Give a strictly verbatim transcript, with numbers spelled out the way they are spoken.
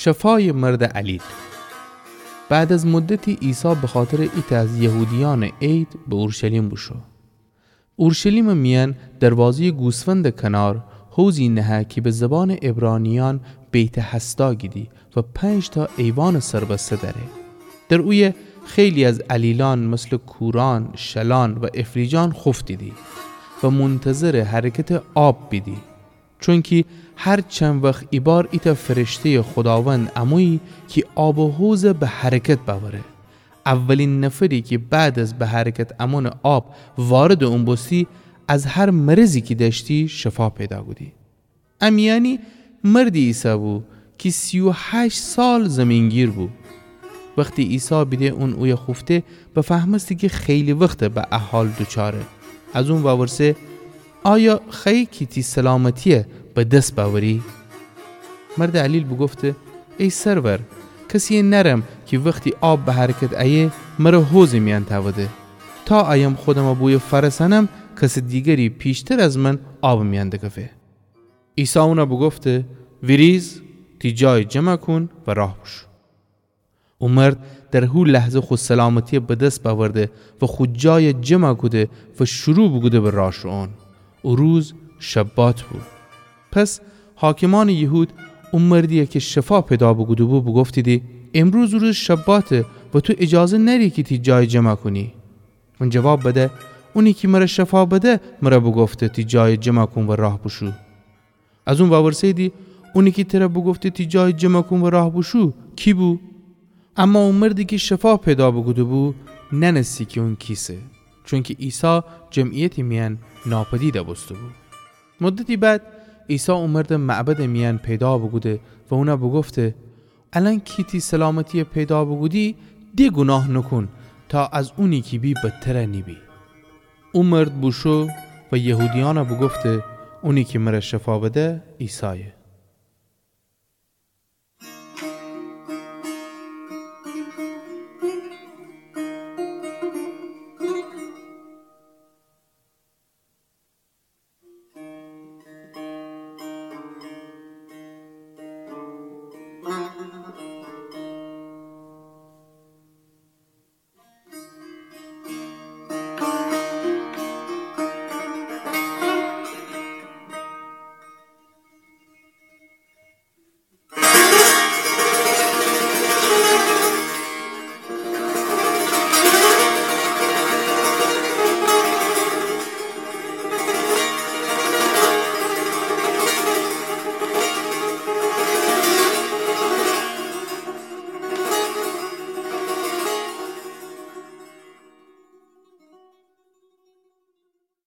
شفایٚ مردٚ علیل. بعد از مدتی عیسی بخاطرٚ ایتأ از یهودیأنٚ عید به اورشلیم بوشو. اورشلیمٚ میأن دروازه‌یٚ گوسفندٚ کنار حوضی نهه کی به زبانٚ عبرانیأن بیت‌حسدا گیدی و پنج‌تأ ایوانٚ سربسته دأره. در اویه خیلی از علیلأن مثلٚ کورأن، شلأن و افلیجأن خوفتیدی و منتظرٚ حرکتٚ آب بیدی. چونکی هر چند وخت ایبار ایتأ فرشته‌یٚ خوداوند امویی کی آبٚ حوض به حرکت بأوره. اولین نفری کی بعد از به حرکت امونٚ آب واردٚ اون بوستی، از هر مرضی کی دأشتی شفا پیدا کودی. ا میأنی مردی ایسه‌بو کی سی و هشت سال زیمین‌گیر بو. وختی عیسی بیده اون اویه خوفته، بفهمسته کی خیلی وخته به ا حال دوچاره. از اون وورسه، آیا خوأیی کی تی سلامتی‌یه به دس بأوری؟ مردٚ علیل بوگفته، ای سرور، کسی‌یه نأرم کی وختی آب به حرکت ایه، مر حوضٚ میأن تأوده. تا ایم خودمه بویه فأرسأنم، کسٚ دیگری پیشتر از من آبٚ میأن دکفه. عیسی اون بوگفته، ویریز، تی جای جمع کون و راه بوشو. او مرد در هو لحظه خو سلامتی‌یه به دس بأورده و خو جای جمع کوده و شروع بوکوده به راه شوئون. او روز شبات بو. پس حاکمأنٚ یهود او مردی‌یه کی شفا پیدا بوکوده‌بو بوگفتیدی، امروز روز شباته و تو اجازه نأری کی تی جای جمع کونی. اون جواب بده، اونی کی مر شفا بده، مر بوگفته تی جای جمع کون و راه بوشو. از اون وورسه‌ییدی، اونی کی تر بوگفته تی جای جمع کون و راه بوشو، کی بو؟ اما او مردی کی شفا پیدا بوکوده‌بو، نأنستی کی اون کیسه، چونکی عیسی جمعیتٚ میأن ناپدید بوسته‌بو. مدتی بعد، عیسی او مرد معبدٚ میأن پیدا بوکوده و اون بوگفته، الأن کی تی سلامتی‌یه پیدا بوکودی، د گوناه نوکون، تا از اونی کی بی بدتر نیبی. او مرد بوشو و یهودیأن بوگفته، اونی کی مر شفا بده، عیسایه.